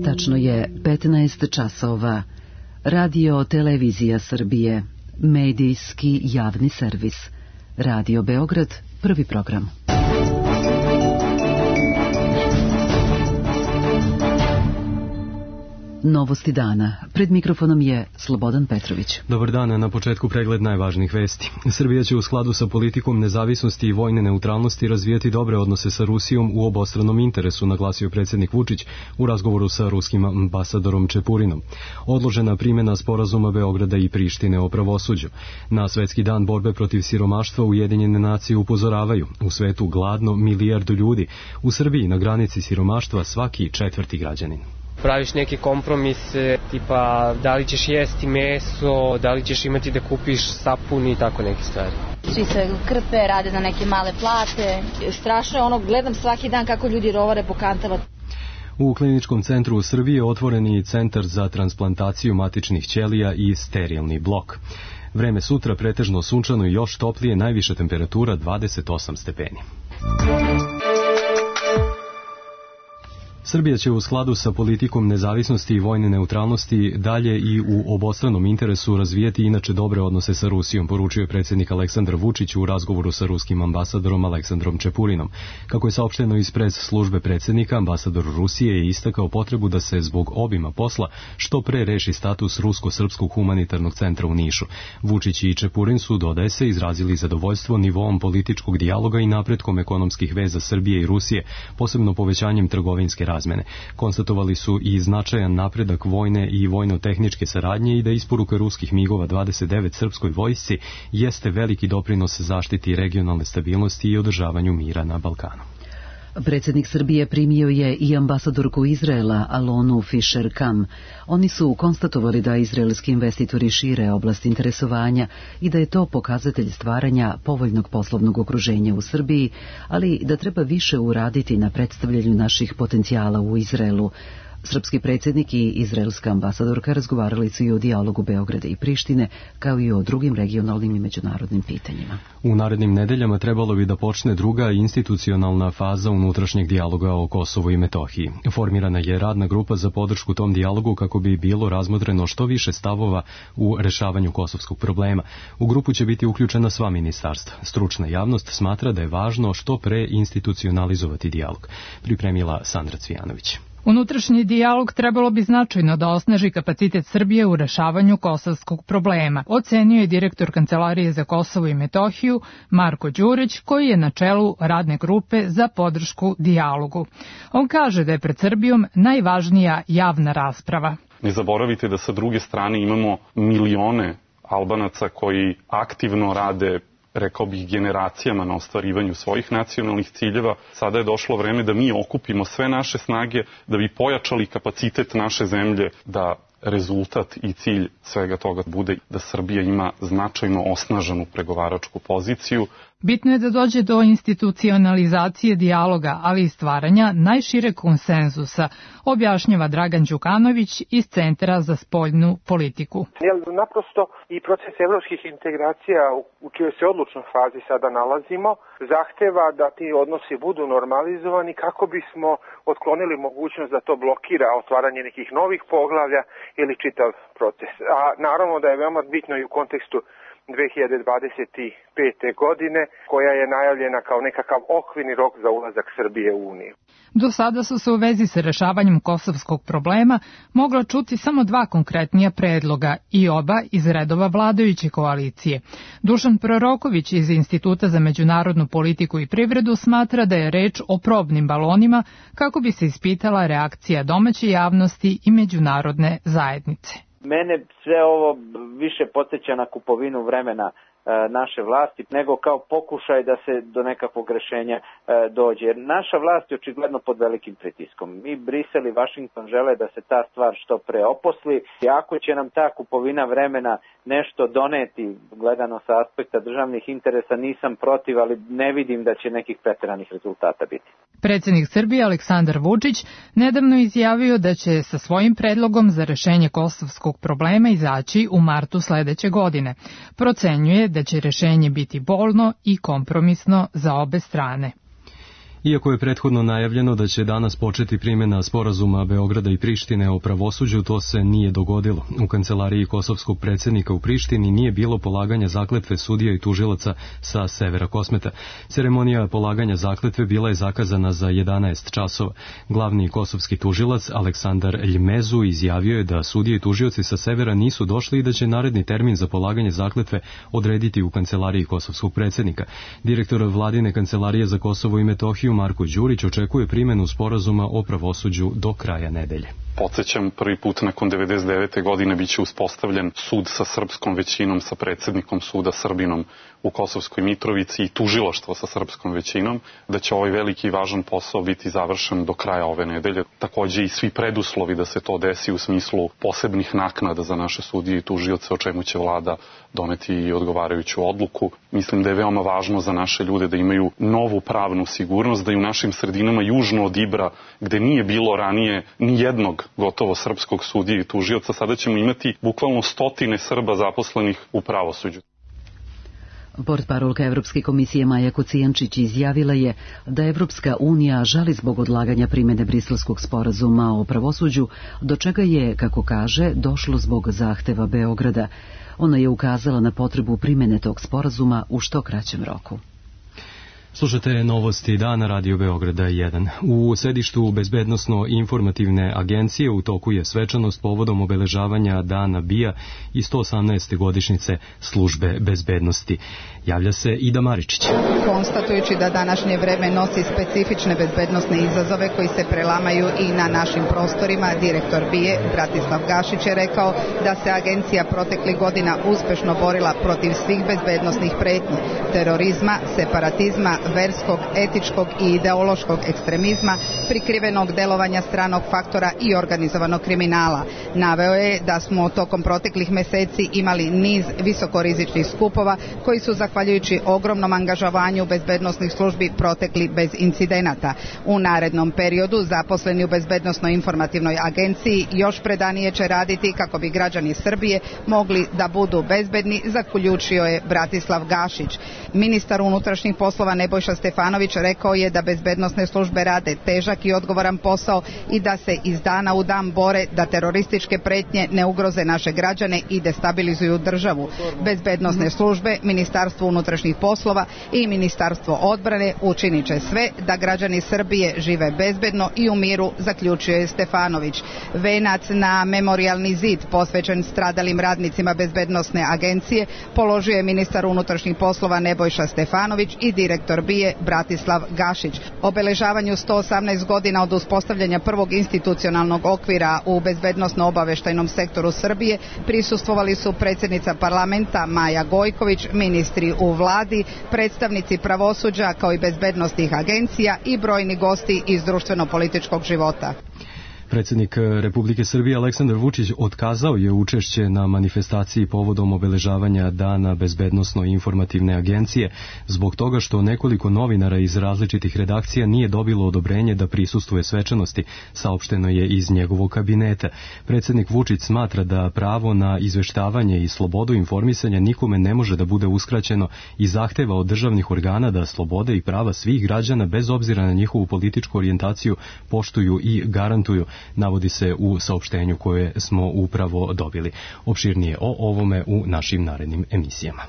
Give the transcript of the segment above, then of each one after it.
Tačno je 15 časova. Radio Televizija Srbije, medijski javni servis. Radio Beograd, prvi program. Novosti dana. Pred mikrofonom je Slobodan Petrović. Dobar dan, na početku pregled najvažnijih vesti. Srbija će u skladu sa politikom nezavisnosti i vojne neutralnosti razvijati dobre odnose sa Rusijom u obostranom interesu, naglasio predsjednik Vučić u razgovoru sa ruskim ambasadorom Čepurinom. Odložena primjena sporazuma Beograda i Prištine o pravosuđu. Na Svetski dan borbe protiv siromaštva Ujedinjene nacije upozoravaju: u svetu gladno 1 milijardu ljudi, u Srbiji na granici siromaštva svaki 4. građanin. Praviš neke kompromise, tipa da li ćeš jesti meso, da li ćeš imati da kupiš sapun i tako neke stvari. Svi se krpe, rade za neke male plate. Strašno je gledam svaki dan kako ljudi rovare po kantama. U Kliničkom centru u Srbiji je otvoreni centar za transplantaciju matičnih ćelija i sterilni blok. Vreme sutra pretežno sunčano i još toplije, najviša temperatura 28 stepeni. Srbija će u skladu sa politikom nezavisnosti i vojne neutralnosti dalje i u obostranom interesu razvijeti inače dobre odnose sa Rusijom, poručio je predsjednik Aleksandar Vučić u razgovoru sa ruskim ambasadorom Aleksandrom Čepurinom. Kako je saopšteno iz pres službe predsjednika, ambasador Rusije je istakao potrebu da se zbog obima posla što pre reši status Rusko-srpskog humanitarnog centra u Nišu. Vučić i Čepurin su, dodaje se, izrazili zadovoljstvo nivoom političkog dijaloga i napretkom ekonomskih veza Srbije i Rusije, posebno povećanjem trgovinske razmene. Konstatovali su i značajan napredak vojne i vojno-tehničke saradnje i da isporuka ruskih MiG-ova 29 srpskoj vojsci jeste veliki doprinos zaštiti regionalne stabilnosti i održavanju mira na Balkanu. Predsjednik Srbije primio je i ambasadorku Izraela Alonu Fisher-Kam. Oni su konstatovali da izraelski investitori šire oblast interesovanja i da je to pokazatelj stvaranja povoljnog poslovnog okruženja u Srbiji, ali da treba više uraditi na predstavljanju naših potencijala u Izraelu. Srpski predsjednik i izraelska ambasadorka razgovarali su i o dijalogu Beograda i Prištine, kao i o drugim regionalnim i međunarodnim pitanjima. U narednim nedeljama trebalo bi da počne druga institucionalna faza unutrašnjeg dijaloga o Kosovu i Metohiji. Formirana je radna grupa za podršku tom dijalogu kako bi bilo razmotreno što više stavova u rešavanju kosovskog problema. U grupu će biti uključena sva ministarstva. Stručna javnost smatra da je važno što pre institucionalizovati dijalog. Pripremila Sandra Cvijanović. Unutrašnji dijalog trebalo bi značajno da osnaži kapacitet Srbije u rešavanju kosovskog problema, ocenio je direktor Kancelarije za Kosovo i Metohiju Marko Đurić, koji je na čelu radne grupe za podršku dijalogu. On kaže da je pred Srbijom najvažnija javna rasprava. Ne zaboravite da sa druge strane imamo milione Albanaca koji aktivno rade, rekao bih, generacijama na ostvarivanju svojih nacionalnih ciljeva. Sada je došlo vreme da mi okupimo sve naše snage, da bi pojačali kapacitet naše zemlje, da rezultat i cilj svega toga bude da Srbija ima značajno osnaženu pregovaračku poziciju. Bitno je da dođe do institucionalizacije dijaloga, ali i stvaranja najšireg konsenzusa, objašnjava Dragan Đukanović iz Centra za spoljnu politiku. Naprosto i proces evropskih integracija u čijoj se odlučnoj fazi sada nalazimo zahteva da ti odnosi budu normalizovani kako bismo otklonili mogućnost da to blokira otvaranje nekih novih poglavlja ili čitav proces. A naravno da je veoma bitno i u kontekstu 2025. godine, koja je najavljena kao nekakav okvirni rok za ulazak Srbije u Uniju. Do sada su se u vezi sa rešavanjem kosovskog problema mogla čuti samo 2 konkretnija predloga i oba iz redova vladajuće koalicije. Dušan Proroković iz Instituta za međunarodnu politiku i privredu smatra da je reč o probnim balonima kako bi se ispitala reakcija domaće javnosti i međunarodne zajednice. Mene sve ovo više podsjeća na kupovinu vremena naše vlasti, nego kao pokušaj da se do nekakvog rešenja dođe. Jer naša vlast je očigledno pod velikim pritiskom. I Brisel i Vašington žele da se ta stvar što pre oposli. I ako će nam ta kupovina vremena nešto doneti, gledano sa aspekta državnih interesa, nisam protiv, ali ne vidim da će nekih preteranih rezultata biti. Predsjednik Srbije Aleksandar Vučić nedavno izjavio da će sa svojim predlogom za rešenje kosovskog problema izaći u martu sledeće godine. Procenjuje da će rešenje biti bolno i kompromisno za obe strane. Iako je prethodno najavljeno da će danas početi primjena sporazuma Beograda i Prištine o pravosuđu, to se nije dogodilo. U kancelariji kosovskog predsjednika u Prištini nije bilo polaganja zakletve sudija i tužilaca sa severa Kosmeta. Ceremonija polaganja zakletve bila je zakazana za 11 časova. Glavni kosovski tužilac Aleksandar Ljmezu izjavio je da sudije i tužioci sa severa nisu došli i da će naredni termin za polaganje zakletve odrediti u kancelariji kosovskog predsjednika. Direktor vladine kancelarije za Kosovo i Metohiju Marko Đurić očekuje primjenu sporazuma o pravosuđu do kraja nedelje. Podsećam, prvi put nakon 99. godine biće uspostavljen sud sa srpskom većinom, sa predsjednikom suda Srbinom u Kosovskoj Mitrovici i tužilaštvo sa srpskom većinom, da će ovaj veliki i važan posao biti završen do kraja ove nedelje. Takođe i svi preduslovi da se to desi u smislu posebnih naknada za naše sudije i tužioce, o čemu će vlada doneti i odgovarajuću odluku. Mislim da je veoma važno za naše ljude da imaju novu pravnu sigurnost, da i u našim sredinama južno od Ibra, gde nije bilo ranije ni jednog gotovo srpskog sudije i tužioca, sada ćemo imati bukvalno stotine Srba zaposlenih u pravosuđu. Portparolka Evropske komisije Maja Kocijančić izjavila je da Evropska unija žali zbog odlaganja primjene Briselskog sporazuma o pravosuđu, do čega je, kako kaže, došlo zbog zahteva Beograda. Ona je ukazala na potrebu primjene tog sporazuma u što kraćem roku. Slušate novosti dana Radio Beograda 1. U sedištu Bezbednosno-informativne agencije u toku je svečanost povodom obeležavanja Dana BIA i 118. godišnjice službe bezbednosti. Javlja se Ida Maričić. Konstatujući da današnje vreme nosi specifične bezbednosne izazove koji se prelamaju i na našim prostorima, direktor BIA Bratislav Gašić je rekao da se agencija proteklih godina uspešno borila protiv svih bezbednosnih pretnji, terorizma, separatizma, verskog, etičkog i ideološkog ekstremizma, prikrivenog delovanja stranog faktora i organizovanog kriminala. Naveo je da smo tokom proteklih meseci imali niz visokorizičnih skupova koji su zahvaljujući ogromnom angažovanju bezbednosnih službi protekli bez incidenata. U narednom periodu zaposleni u Bezbednosno-informativnoj agenciji još predanije će raditi kako bi građani Srbije mogli da budu bezbedni, zaključio je Bratislav Gašić. Ministar unutrašnjih poslova Nebojša Stefanović rekao je da bezbednosne službe rade težak i odgovoran posao i da se iz dana u dan bore da terorističke pretnje ne ugroze naše građane i destabilizuju državu. Bezbednosne službe, Ministarstvo unutrašnjih poslova i Ministarstvo odbrane učinit će sve da građani Srbije žive bezbedno i u miru, zaključio je Stefanović. Venac na memorijalni zid posvećen stradalim radnicima bezbednosne agencije položio je ministar unutrašnjih poslova Nebojša Stefanović i direktor BIA Bratislav Gašić. Obeležavanju 118 godina od uspostavljanja prvog institucionalnog okvira u bezbednosno-obaveštajnom sektoru Srbije prisustvovali su predsjednica parlamenta Maja Gojković, ministri u vladi, predstavnici pravosuđa kao i bezbednosnih agencija i brojni gosti iz društveno-političkog života. Predsjednik Republike Srbije Aleksandar Vučić otkazao je učešće na manifestaciji povodom obeležavanja Dana Bezbednosno-informativne agencije zbog toga što nekoliko novinara iz različitih redakcija nije dobilo odobrenje da prisustvuje svečanosti, saopšteno je iz njegovog kabineta. Predsjednik Vučić smatra da pravo na izveštavanje i slobodu informisanja nikome ne može da bude uskraćeno i zahteva od državnih organa da slobode i prava svih građana bez obzira na njihovu političku orijentaciju poštuju i garantuju, navodi se u saopštenju koje smo upravo dobili. Opširnije o ovome u našim narednim emisijama.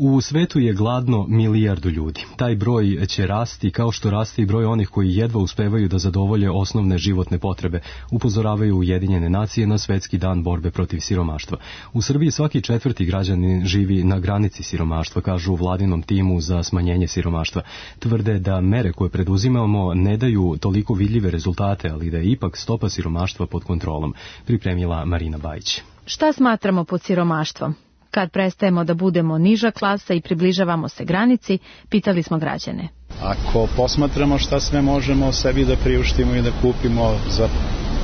U svetu je gladno 1 milijardu ljudi. Taj broj će rasti kao što raste i broj onih koji jedva uspevaju da zadovolje osnovne životne potrebe, upozoravaju Ujedinjene nacije na Svetski dan borbe protiv siromaštva. U Srbiji svaki 4. građanin živi na granici siromaštva, kažu u vladinom timu za smanjenje siromaštva. Tvrde da mere koje preduzimamo ne daju toliko vidljive rezultate, ali da je ipak stopa siromaštva pod kontrolom, pripremila Marina Bajić. Šta smatramo pod siromaštvom? Kad prestajemo da budemo niža klasa i približavamo se granici, pitali smo građane. Ako posmatramo šta sve možemo sebi da priuštimo i da kupimo za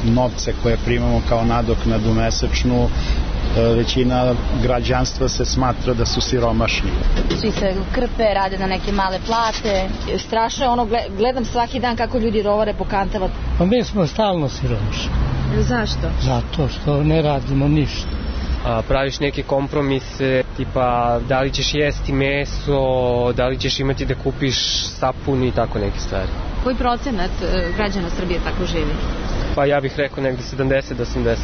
novce koje primamo kao nadoknadu mesečnu, većina građanstva se smatra da su siromašni. Svi se krpe, rade na neke male plate. Strašno je ono, gledam svaki dan kako ljudi rovare po kantama. Pa mi smo stalno siromašni. Zašto? Zato što ne radimo ništa. praviš neke kompromise, tipa da li ćeš jesti meso, da li ćeš imati da kupiš sapun i tako neke stvari. Koji procenat građana Srbije tako živi? Pa ja bih rekao negde 70 do 80%.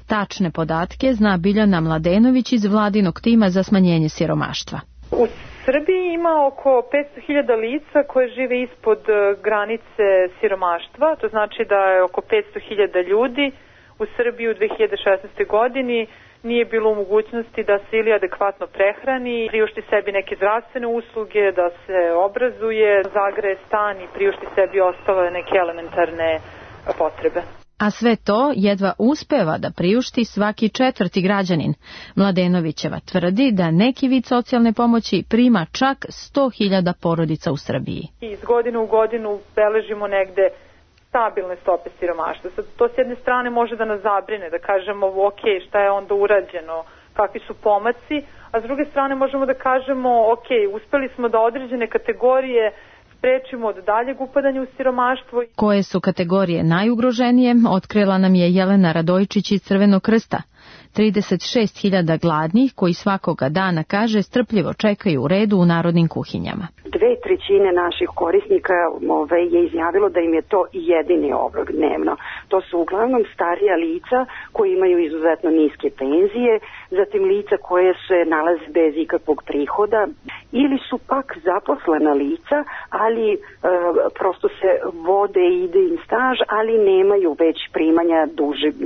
Tačne podatke zna Biljana Mladenović iz vladinog tima za smanjenje siromaštva. U Srbiji ima oko 500.000 lica koje žive ispod granice siromaštva, to znači da je oko 500.000 ljudi u Srbiji u 2016. godini nije bilo u mogućnosti da se ili adekvatno prehrani, priušti sebi neke zdravstvene usluge, da se obrazuje, zagreje stan i priušti sebi ostale neke elementarne potrebe. A sve to jedva uspeva da priušti svaki četvrti građanin. Mladenovićeva tvrdi da neki vid socijalne pomoći prima čak 100.000 porodica u Srbiji. Iz godine u godinu beležimo negde stabilne stope siromaštva. To s jedne strane može da nas zabrine, da kažemo ok, šta je onda urađeno, kakvi su pomaci, a s druge strane možemo da kažemo ok, uspeli smo da određene kategorije sprečimo od daljeg upadanja u siromaštvo. Koje su kategorije najugroženije, otkrila nam je Jelena Radojčić iz Crvenog krsta. 36.000 gladnih koji svakoga dana, kaže, strpljivo čekaju u redu u narodnim kuhinjama. 2/3 naših korisnika je izjavilo da im je to jedini obrok dnevno. To su uglavnom starija lica koji imaju izuzetno niske penzije, zatim lica koje se nalaze bez ikakvog prihoda ili su pak zaposlena lica, ali prosto se vode i ide im staž, ali nemaju već primanja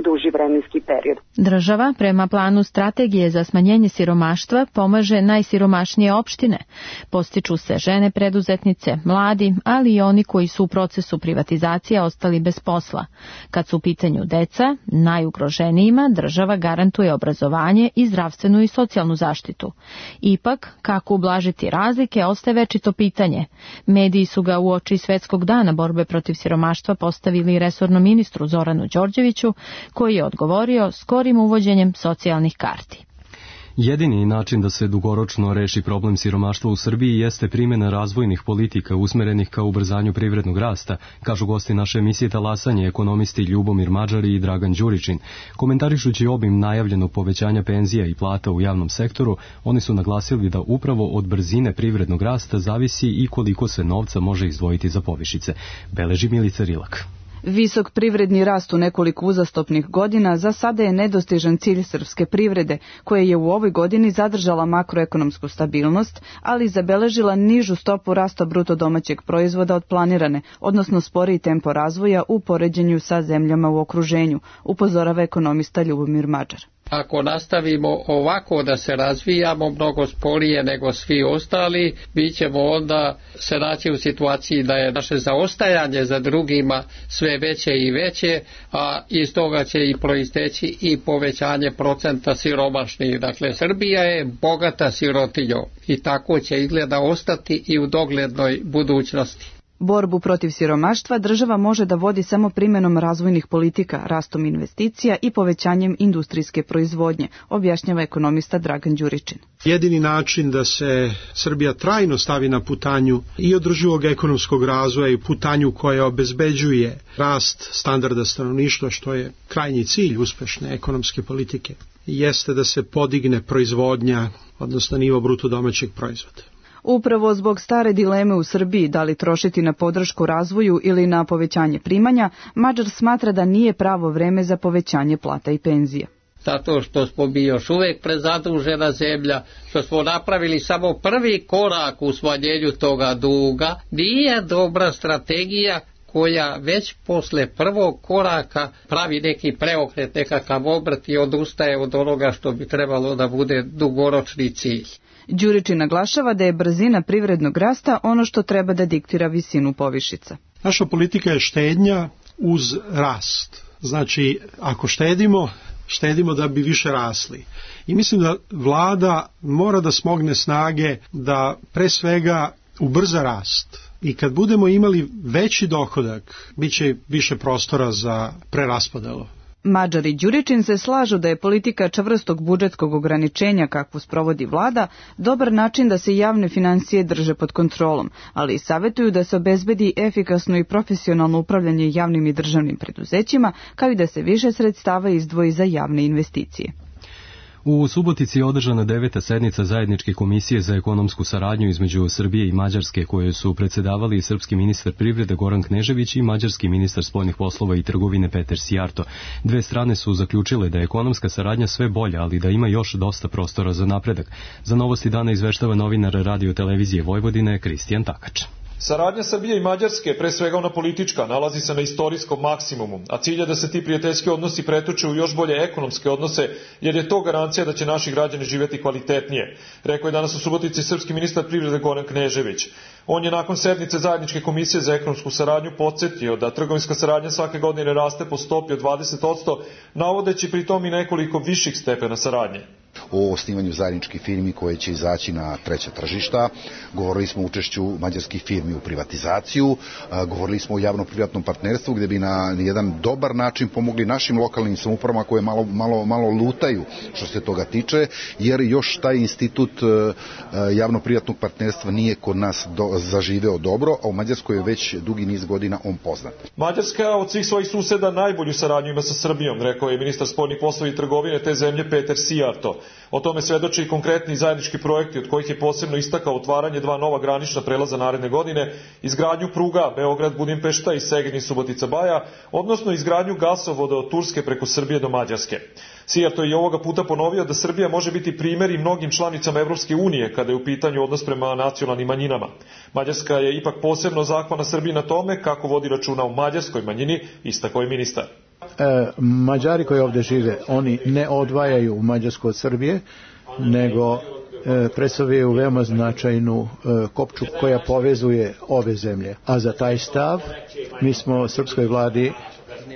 duži vremenski period. Država prema planu strategije za smanjenje siromaštva pomaže najsiromašnije opštine. Postiču se žene preduzetnice, mladi, ali i oni koji su u procesu privatizacije ostali bez posla. Kad su u pitanju deca, najugroženijima država garantuje obrazovanje i zdravstvenu i socijalnu zaštitu. Ipak, kako ublažiti razlike, ostaje večito pitanje. Mediji su ga uoči Svetskog dana borbe protiv siromaštva postavili resornom ministru Zoranu Đorđeviću, koji je odgovorio skorim uvođenjem socijalnih karti. Jedini način da se dugoročno reši problem siromaštva u Srbiji jeste primjena razvojnih politika usmerenih ka ubrzanju privrednog rasta, kažu gosti naše emisije Talasanje, ekonomisti Ljubomir Mađari i Dragan Đuričin. Komentarišući obim najavljenog povećanja penzija i plata u javnom sektoru, oni su naglasili da upravo od brzine privrednog rasta zavisi i koliko se novca može izdvojiti za povišice. Beleži Milica Rilak. Visok privredni rast u nekoliko uzastopnih godina za sada je nedostižan cilj srpske privrede, koja je u ovoj godini zadržala makroekonomsku stabilnost, ali zabeležila nižu stopu rasta bruto domaćeg proizvoda od planirane, odnosno sporiji tempo razvoja u poređenju sa zemljama u okruženju, upozorava ekonomista Ljubomir Mađar. Ako nastavimo ovako da se razvijamo mnogo sporije nego svi ostali, mi ćemo onda se naći u situaciji da je naše zaostajanje za drugima sve veće i veće, a iz toga će i proisteći i povećanje procenta siromašnih. Dakle, Srbija je bogata sirotinjom i tako će izgleda ostati i u doglednoj budućnosti. Borbu protiv siromaštva država može da vodi samo primjenom razvojnih politika, rastom investicija i povećanjem industrijske proizvodnje, objašnjava ekonomista Dragan Đuričin. Jedini način da se Srbija trajno stavi na putanju i održivog ekonomskog razvoja i putanju koja obezbeđuje rast standarda stanovništva, što je krajnji cilj uspešne ekonomske politike, jeste da se podigne proizvodnja, odnosno nivo bruto domaćeg proizvoda. Upravo zbog stare dileme u Srbiji da li trošiti na podršku razvoju ili na povećanje primanja, Mađar smatra da nije pravo vreme za povećanje plata i penzija. Zato što smo mi još uvijek prezadužena zemlja, što smo napravili samo prvi korak u smanjenju toga duga, nije dobra strategija koja već posle prvog koraka pravi neki preokret, nekakav obrt i odustaje od onoga što bi trebalo da bude dugoročni cilj. Đuričin naglašava da je brzina privrednog rasta ono što treba da diktira visinu povišica. Naša politika je štednja uz rast. Znači, ako štedimo da bi više rasli. I mislim da vlada mora da smogne snage da pre svega ubrza rast. I kad budemo imali veći dohodak, bit će više prostora za preraspodelu. Mađar i Đuričin se slažu da je politika čvrstog budžetskog ograničenja kakvu sprovodi vlada dobar način da se javne financije drže pod kontrolom, ali i savjetuju da se obezbedi efikasno i profesionalno upravljanje javnim i državnim preduzećima, kao i da se više sredstava izdvoji za javne investicije. U Subotici je održana 9. sednica zajedničke komisije za ekonomsku saradnju između Srbije i Mađarske, koje su predsedavali srpski ministar privrede Goran Knežević i mađarski ministar spoljnih poslova i trgovine Peter Sijarto. Dve strane su zaključile da je ekonomska saradnja sve bolja, ali da ima još dosta prostora za napredak. Za Novosti dana izveštava novinar Radio televizije Vojvodine Kristijan Takač. Saradnja Srbije i Mađarske, pre svega ona politička, nalazi se na istorijskom maksimumu, a cilj je da se ti prijateljski odnosi pretoče u još bolje ekonomske odnose, jer je to garancija da će naši građani živjeti kvalitetnije, rekao je danas u Subotici srpski ministar privrede Goran Knežević. On je nakon sednice zajedničke komisije za ekonomsku saradnju podsjetio da trgovinska saradnja svake godine raste po stopi od 20%, navodeći pritom i nekoliko viših stepena saradnje. O osnivanju zajedničkih firmi koje će izaći na treća tržišta, govorili smo o učešću mađarskih firmi u privatizaciju, govorili smo o javno-privatnom partnerstvu gdje bi na jedan dobar način pomogli našim lokalnim samoupravama koje malo lutaju što se toga tiče, jer još taj institut javno-privatnog partnerstva nije kod nas zaživeo dobro, a u Mađarskoj je već dugi niz godina on poznat. Mađarska od svih svojih suseda najbolju saradnju ima sa Srbijom, rekao je ministar spoljnih poslova i trgovine te zemlje Peter Sijarto. O tome svedoče i konkretni zajednički projekti, od kojih je posebno istakao otvaranje 2 nova granična prelaza naredne godine, izgradnju pruga Beograd-Budimpešta i Segedin-Subotica-Baja, odnosno izgradnju gasovoda od Turske preko Srbije do Mađarske. Sijarto je ovoga puta ponovio da Srbija može biti primjer i mnogim članicama Evropske unije kada je u pitanju odnos prema nacionalnim manjinama. Mađarska je ipak posebno zahvalna Srbiji na tome kako vodi računa o mađarskoj manjini, istakao je ministar. Mađari koji ovdje žive, oni ne odvajaju Mađarsku od Srbije, nego predstavljaju veoma značajnu kopču koja povezuje ove zemlje. A za taj stav mi smo srpskoj vladi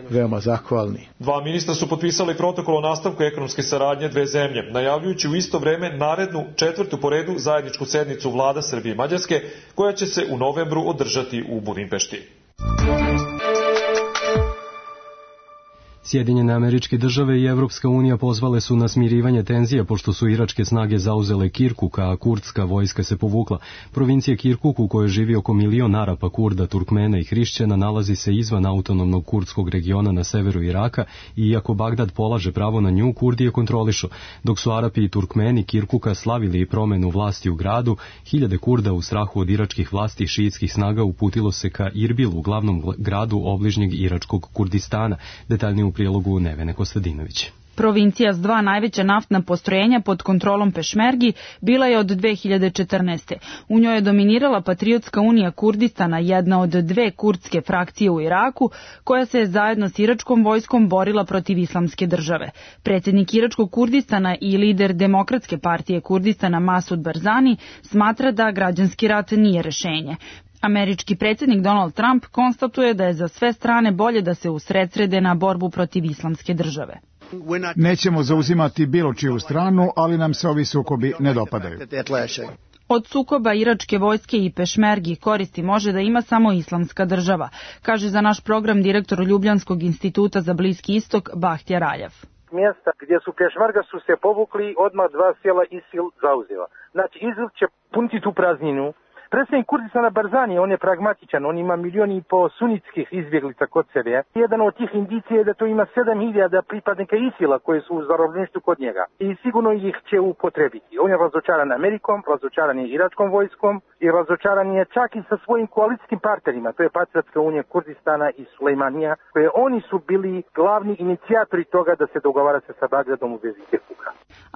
veoma zahvalni. 2 ministra su potpisali protokol o nastavku ekonomske saradnje dve zemlje, najavljujući u isto vreme narednu 4. po redu zajedničku sednicu vlada Srbije i Mađarske, koja će se u novembru održati u Budimpešti. Sjedinjene Američke Države i Evropska unija pozvale su na smirivanje tenzija pošto su iračke snage zauzele Kirkuk, a kurdska vojska se povukla. Provincija Kirkuk, u kojoj živi oko 1 milion Arapa, Kurda, Turkmena i Hrišćana, nalazi se izvan autonomnog kurdskog regiona na severu Iraka i iako Bagdad polaže pravo na nju, Kurdi je kontrolišu. Dok su Arapi i Turkmeni Kirkuka slavili promenu vlasti u gradu, hiljade Kurda u strahu od iračkih vlasti i šiitskih snaga uputilo se ka Irbilu, glavnom gradu obližnjeg iračkog Kurdistana. Detaljnije u prilogu Nevene Kostadinović. Provincija s 2 najveća naftna postrojenja pod kontrolom Pešmergi bila je od 2014. U njoj je dominirala Patriotska unija Kurdistana, jedna od 2 kurdske frakcije u Iraku, koja se zajedno s iračkom vojskom borila protiv islamske države. Predsjednik iračkog Kurdistana i lider Demokratske partije Kurdistana Masud Barzani smatra da građanski rat nije rešenje. Američki predsjednik Donald Trump konstatuje da je za sve strane bolje da se usredsrede na borbu protiv islamske države. Nećemo zauzimati bilo čiju stranu, ali nam se ovi sukobi ne dopadaju. Od sukoba iračke vojske i Pešmergi koristi može da ima samo islamska država, kaže za naš program direktor Ljubljanskog instituta za Bliski istok Bahtjar Aljav. Mjesta gdje su Pešmerga su se povukli, odmah 2 sela ISIL zauzela. Znači ISIL će puniti tu prazninu. Predsjednik Kurdistana Barzani, on je pragmatičan, on ima 1,5 milijuna sunitskih izbjeglica kod sebe. Jedan od tih indicija je da to ima 7.000 pripadnika ISIL-a koji su u zarobljeništvu kod njega. I sigurno ih će upotrebiti. On je razočaran Amerikom, razočaran je iračkom vojskom i razočaran je čak i sa svojim koalicijskim partnerima. To je Patriotska unija Kurdistana i Sulejmanija, koje oni su bili glavni inicijatori toga da se dogovara se sa Bagdadom u vezi Kirkuka.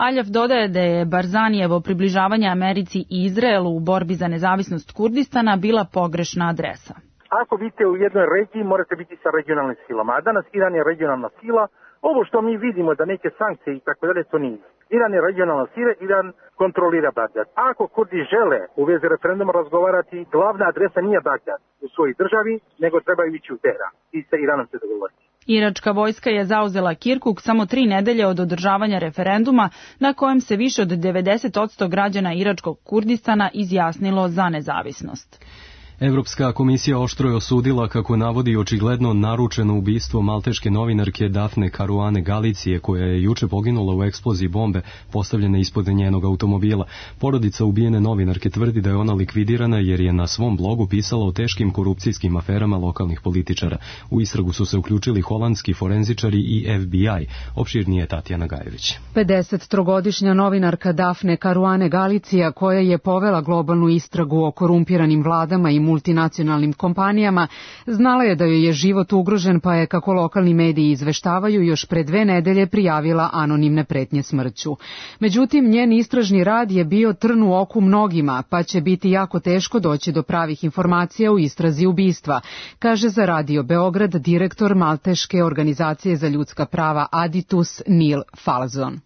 Aljav dodaje da je Barzanijevo približavanje Americi i Izraelu u borbi za nezavisnost Kurdistana bila pogrešna adresa. Ako vidite u jednoj regiji, morate biti sa regionalnim silama. A danas Iran je regionalna sila. Ovo što mi vidimo da neke sankcije i tako dalje, to nije. Iran je regionalna sila, Iran kontrolira Bagdad. Ako Kurdi žele u vezi referenduma razgovarati, glavna adresa nije Bagdad u svojoj državi, nego trebaju ići u Teheran i sa Iranom se dogovoriti. Iračka vojska je zauzela Kirkuk samo 3 nedelje od održavanja referenduma na kojem se više od 90% građana iračkog Kurdistana izjasnilo za nezavisnost. Evropska komisija oštro je osudila, kako navodi, očigledno naručeno ubistvo malteške novinarke Dafne Caruane Galicije, koja je juče poginula u eksploziji bombe postavljene ispod njenog automobila. Porodica ubijene novinarke tvrdi da je ona likvidirana jer je na svom blogu pisala o teškim korupcijskim aferama lokalnih političara. U istragu su se uključili holandski forenzičari i FBI. Opširnije Tatjana Gajević. 53-godišnja novinarka Dafne Caruane Galicija, koja je povela globalnu istragu o korumpiranim vladama i multinacionalnim kompanijama, znala je da joj je život ugrožen, pa je, kako lokalni mediji izveštavaju, još pre 2 nedelje prijavila anonimne pretnje smrću. Međutim, njen istražni rad je bio trn u oku mnogima, pa će biti jako teško doći do pravih informacija u istrazi ubistva, kaže za Radio Beograd direktor Malteške organizacije za ljudska prava Aditus Neil Falzon.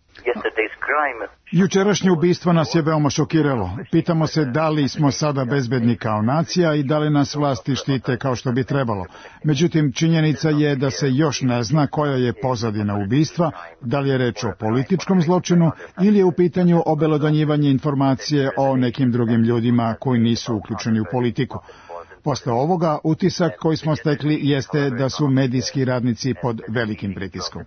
Jučerašnje ubistvo nas je veoma šokiralo. Pitamo se da li smo sada bezbedni kao nacija i da li nas vlasti štite kao što bi trebalo. Međutim, činjenica je da se još ne zna koja je pozadina ubistva, da li je reč o političkom zločinu ili je u pitanju obelodanjivanje informacije o nekim drugim ljudima koji nisu uključeni u politiku. Posle ovoga, utisak koji smo stekli jeste da su medijski radnici pod velikim pritiskom.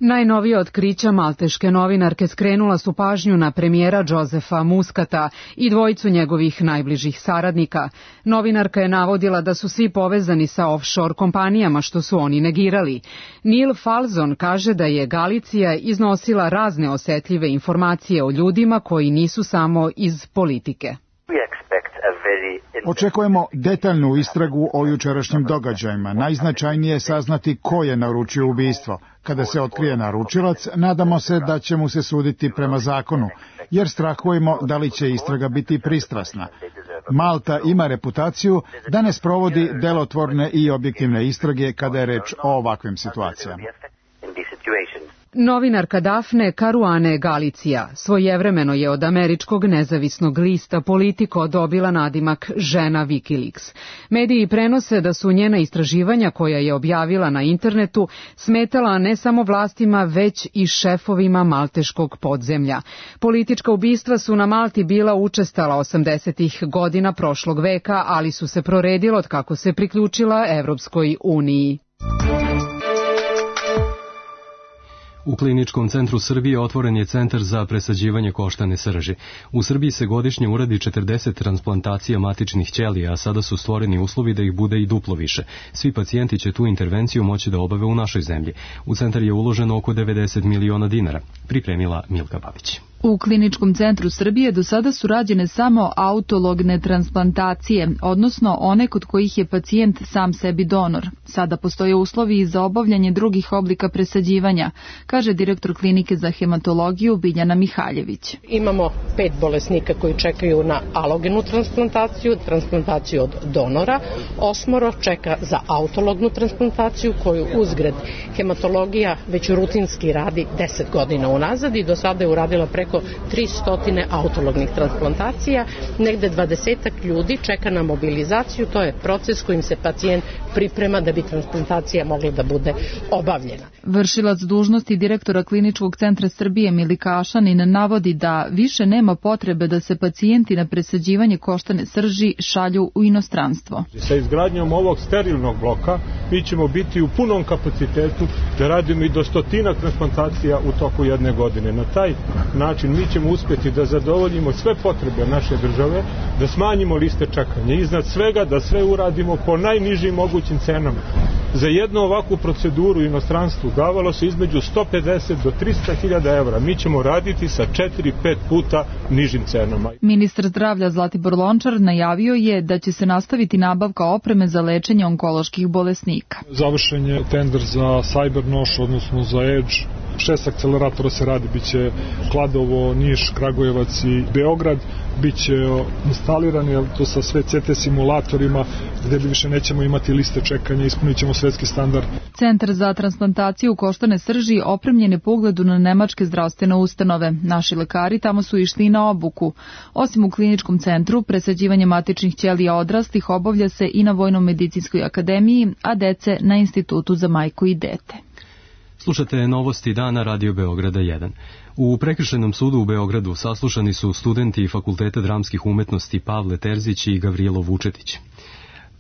Najnovije otkrića malteške novinarke skrenula su pažnju na premijera Josefa Muscata i dvojicu njegovih najbližih saradnika. Novinarka je navodila da su svi povezani sa offshore kompanijama, što su oni negirali. Neil Falzon kaže da je Galicija iznosila razne osetljive informacije o ljudima koji nisu samo iz politike. Očekujemo detaljnu istragu o jučerašnjim događajima. Najznačajnije je saznati ko je naručio ubistvo. Kada se otkrije naručilac, nadamo se da će mu se suditi prema zakonu, jer strahujemo da li će istraga biti pristrasna. Malta ima reputaciju da ne sprovodi delotvorne i objektivne istrage kada je reč o ovakvim situacijama. Novinarka Dafne Caruane Galicija svojevremeno je od američkog nezavisnog lista Politico dobila nadimak žena Wikileaks. Mediji prenose da su njena istraživanja, koja je objavila na internetu, smetala ne samo vlastima, već i šefovima malteškog podzemlja. Politička ubistva su na Malti bila učestala 80-ih godina prošlog veka, ali su se proredila od kako se priključila Evropskoj uniji. U Kliničkom centru Srbije otvoren je centar za presađivanje koštane srži. U Srbiji se godišnje uradi 40 transplantacija matičnih ćelija, a sada su stvoreni uslovi da ih bude i duplo više. Svi pacijenti će tu intervenciju moći da obave u našoj zemlji. U centar je uloženo oko 90 miliona dinara, pripremila Milka Babić. U Kliničkom centru Srbije do sada su rađene samo autologne transplantacije, odnosno one kod kojih je pacijent sam sebi donor. Sada postoje uslovi i za obavljanje drugih oblika presađivanja, kaže direktor klinike za hematologiju Biljana Mihaljević. Imamo 5 bolesnika koji čekaju na alogenu transplantaciju od donora, 8 čeka za autolognu transplantaciju koju uzgred hematologija već rutinski radi 10 godina unazad i do sada je uradila preko 300 autolognih transplantacija, negde 20 ljudi čeka na mobilizaciju, to je proces kojim se pacijent priprema da bi transplantacija mogla da bude obavljena. Vršilac dužnosti direktora Kliničkog centra Srbije Milika Ašanin navodi da više nema potrebe da se pacijenti na presađivanje koštane srži šalju u inostranstvo. Sa izgradnjom ovog sterilnog bloka mi ćemo biti u punom kapacitetu da radimo i do 100 transplantacija u toku jedne godine. Na taj način mi ćemo uspjeti da zadovoljimo sve potrebe naše države, da smanjimo liste čekanja, iznad svega da sve uradimo po najnižim mogućim cenama. Za jednu ovakvu proceduru u inostranstvu davalo se između 150 do 300.000 evra. Mi ćemo raditi sa 4-5 puta nižim cenama. Ministar zdravlja Zlatibor Lončar najavio je da će se nastaviti nabavka opreme za lečenje onkoloških bolesnika. Završen je tender za Cybernoš, odnosno za Edge. 6 akceleratora se radi, biće Kladovo, Niš, Kragujevac i Beograd. Biće instalirani to sa sve CT simulatorima gde više nećemo imati liste čekanja, ispunit ćemo svetski standard. Centar za transplantaciju koštane srži opremljen je po ugledu na nemačke zdravstvene ustanove. Naši lekari tamo su išli na obuku. Osim u Kliničkom centru, presađivanje matičnih ćelija odraslih obavlja se i na Vojno-medicinskoj akademiji, a dece na Institutu za majku i dete. Slušate novosti dana Radio Beograda 1. U Prekršajnom sudu u Beogradu saslušani su studenti Fakulteta dramskih umetnosti Pavle Terzić i Gavrilo Vučetić.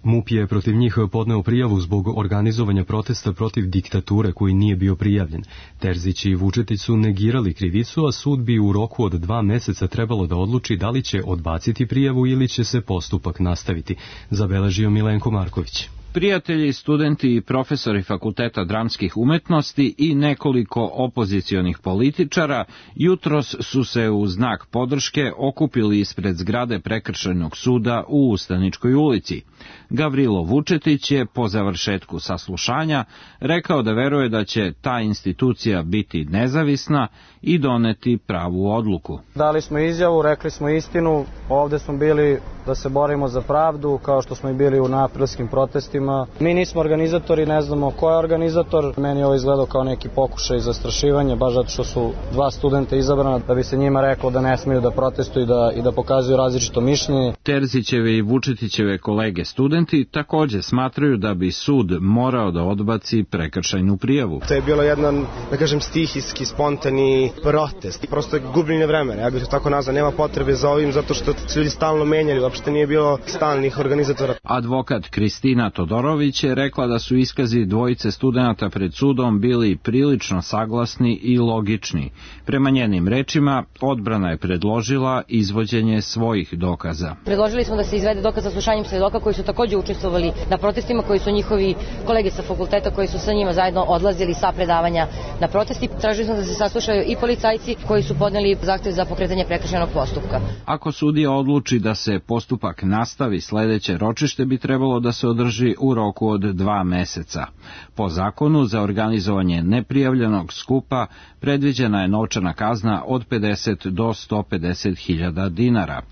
MUP je protiv njih podneo prijavu zbog organizovanja protesta protiv diktature koji nije bio prijavljen. Terzić i Vučetić su negirali krivicu, a sud bi u roku od 2 meseca trebalo da odluči da li će odbaciti prijavu ili će se postupak nastaviti, zabeležio Milenko Marković. Prijatelji, studenti i profesori Fakulteta dramskih umetnosti i nekoliko opozicionih političara jutros su se u znak podrške okupili ispred zgrade Prekršajnog suda u Ustaničkoj ulici. Gavrilo Vučetić je po završetku saslušanja rekao da veruje da će ta institucija biti nezavisna i doneti pravu odluku. Dali smo izjavu, rekli smo istinu, ovde smo bili da se borimo za pravdu, kao što smo i bili u aprilskim protestima. Mi nismo organizatori, ne znamo ko je organizator. Meni je ovo izgledao kao neki pokušaj zastrašivanja, baš zato što su 2 studenta izabrana, da bi se njima reklo da ne smiju da protestuju i da pokazuju različito mišljenje. Terzićeve i Vučetićeve kolege studenti takođe smatraju da bi sud morao da odbaci prekršajnu prijavu. To je bilo jedan, da kažem, stihijski, spontani protest. Prosto je gubljenje vremena, ja bih to tako nazvao, nema potrebe za ovim, zato što se ljudi stalno menjali, uopšte nije bilo stalnih organizatora. Advokat Kristina Todorović je rekla da su iskazi dvojice studenata pred sudom bili prilično saglasni i logični. Prema njenim rečima, odbrana je predložila izvođenje svojih dokaza. Predložili smo da se izvede dokaz sa slušanjem svedoka koji su takođe učestvovali na protestima, koji su njihovi kolege sa fakulteta koji su sa njima zajedno odlazili sa predavanja na protesti. Tražili smo da se saslušaju i policajci koji su podneli zahtev za pokretanje prekršajnog postupka. Ako sudija odluči da se postupak nastavi, sledeće ročište bi trebalo da se održi u roku od 2 meseca. Po zakonu za organizovanje neprijavljenog skupa predviđena je novčana kazna od 50 do 150.000 dinara.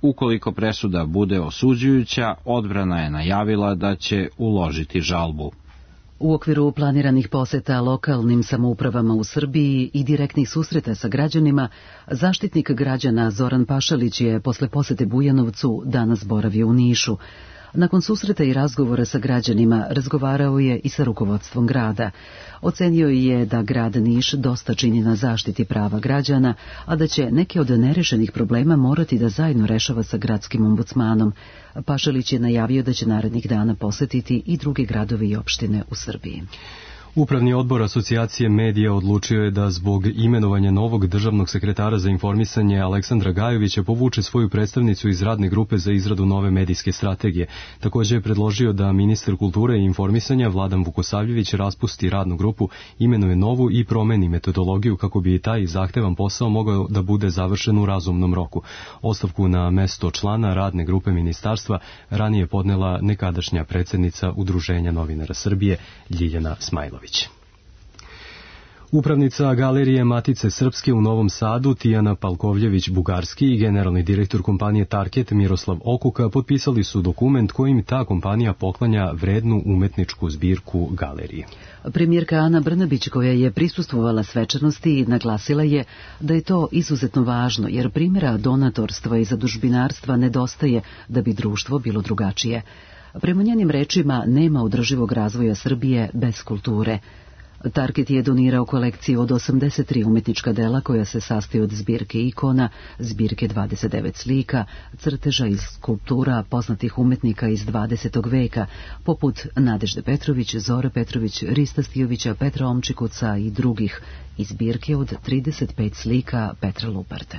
Ukoliko presuda bude osuđujuća, odbrana je najavila da će uložiti žalbu. U okviru planiranih poseta lokalnim samoupravama u Srbiji i direktnih susreta sa građanima, zaštitnik građana Zoran Pašalić je posle posete Bujanovcu danas boravio u Nišu. Nakon susreta i razgovora sa građanima razgovarao je i sa rukovodstvom grada. Ocenio je da grad Niš dosta čini na zaštiti prava građana, a da će neke od nerešenih problema morati da zajedno rešava sa gradskim ombudsmanom. Pašalić je najavio da će narednih dana posetiti i druge gradove i opštine u Srbiji. Upravni odbor Asocijacije medija odlučio je da zbog imenovanja novog državnog sekretara za informisanje Aleksandra Gajovića povuče svoju predstavnicu iz radne grupe za izradu nove medijske strategije. Također je predložio da ministar kulture i informisanja Vladan Vukosavljević raspusti radnu grupu, imenuje novu i promeni metodologiju kako bi taj zahtevan posao mogao da bude završen u razumnom roku. Ostavku na mesto člana radne grupe ministarstva ranije podnela nekadašnja predsednica Udruženja novinara Srbije Ljiljana Smajlović. Upravnica Galerije Matice Srpske u Novom Sadu Tijana Palkovljević-Bugarski i generalni direktor kompanije Tarket Miroslav Okuka potpisali su dokument kojim ta kompanija poklanja vrednu umetničku zbirku galerije. Premijerka Ana Brnabić, koja je prisustvovala svečanosti, naglasila je da je to izuzetno važno jer primjera donatorstva i zadužbinarstva nedostaje da bi društvo bilo drugačije. Prema njenim rečima nema održivog razvoja Srbije bez kulture. Target je donirao kolekciju od 83 umetnička dela koja se sastoji od zbirke ikona, zbirke 29 slika, crteža i skulptura poznatih umetnika iz 20. veka, poput Nadežde Petrović, Zore Petrović, Rista Stijovića, Petra Omčikuca i drugih, i zbirke od 35 slika Petra Luparte.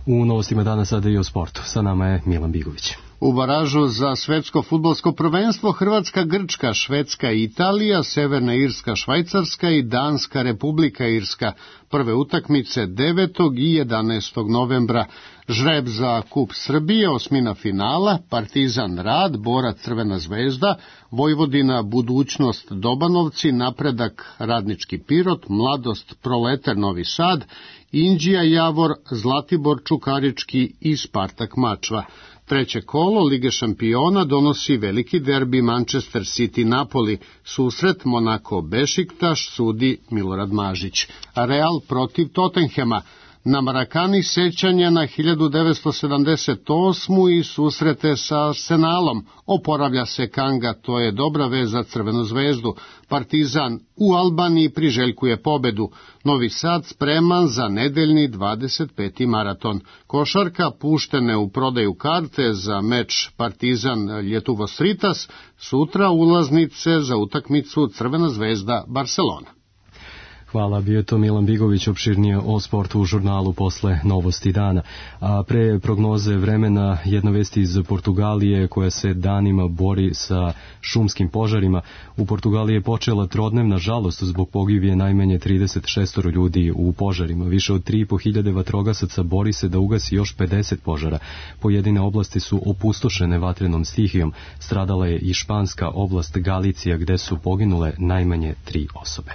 U novostima dana sada i o sportu. Sa nama je Milan Bigović. U baražu za svetsko fudbalsko prvenstvo Hrvatska, Grčka, Švedska i Italija, Severna Irska, Švajcarska i Danska Republika Irska. Prve utakmice 9. i 11. novembra. Žreb za Kup Srbije, osmina finala, Partizan Rad, Borac Crvena zvezda, Vojvodina Budućnost Dobanovci, Napredak Radnički Pirot, Mladost Proletar Novi Sad, Inđija Javor, Zlatibor Čukarički i Spartak Mačva. Treće kolo Lige šampiona donosi veliki derbi Manchester City-Napoli, susret Monako Bešiktaš sudi Milorad Mažić. Real protiv Tottenhema. na Marakani sećanje na 1978. i susrete sa Arsenalom. Oporavlja se Kanga, to je dobra vez za Crvenu zvezdu. Partizan u Albaniji priželjkuje pobedu. Novi Sad spreman za nedeljni 25. maraton. Košarka, puštene u prodaju karte za meč Partizan Ljetuvos Ritas, sutra ulaznice za utakmicu Crvena zvezda Barcelona. Hvala, bio je to Milan Bigović, opširnije o sportu u žurnalu posle novosti dana. A pre prognoze vremena jedna vest iz Portugalije koja se danima bori sa šumskim požarima. U Portugaliji je počela trodnevna žalost zbog pogibije najmanje 36 ljudi u požarima. Više od 3.500 vatrogasaca bori se da ugasi još 50 požara. Pojedine oblasti su opustošene vatrenom stihijom. Stradala je i španska oblast Galicija gde su poginule najmanje 3 osobe.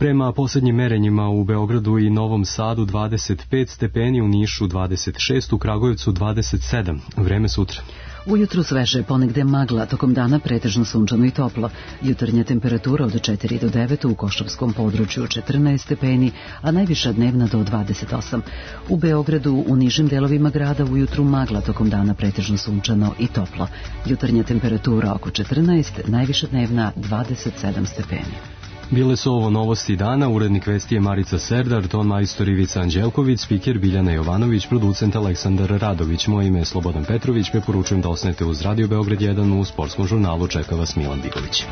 Prema posljednjim merenjima u Beogradu i Novom Sadu 25 stepeni, u Nišu 26, u Kragujevcu 27. Vreme sutra. Ujutru sveže, ponegde magla, tokom dana pretežno sunčano i toplo. Jutarnja temperatura od 4 do 9, u Košavskom području 14 stepeni, a najviša dnevna do 28. U Beogradu, u nižim delovima grada, ujutru magla, tokom dana pretežno sunčano i toplo. Jutarnja temperatura oko 14, najviša dnevna 27 stepeni. Bile su ovo novosti dana, urednik vesti je Marica Serdar, ton majstor Ivica Anđelković, spiker Biljana Jovanović, producent Aleksandar Radović. Moje ime je Slobodan Petrović, preporučujem da osnete uz Radio Beograd 1 u sportskom žurnalu. Čeka vas Milan Bigović.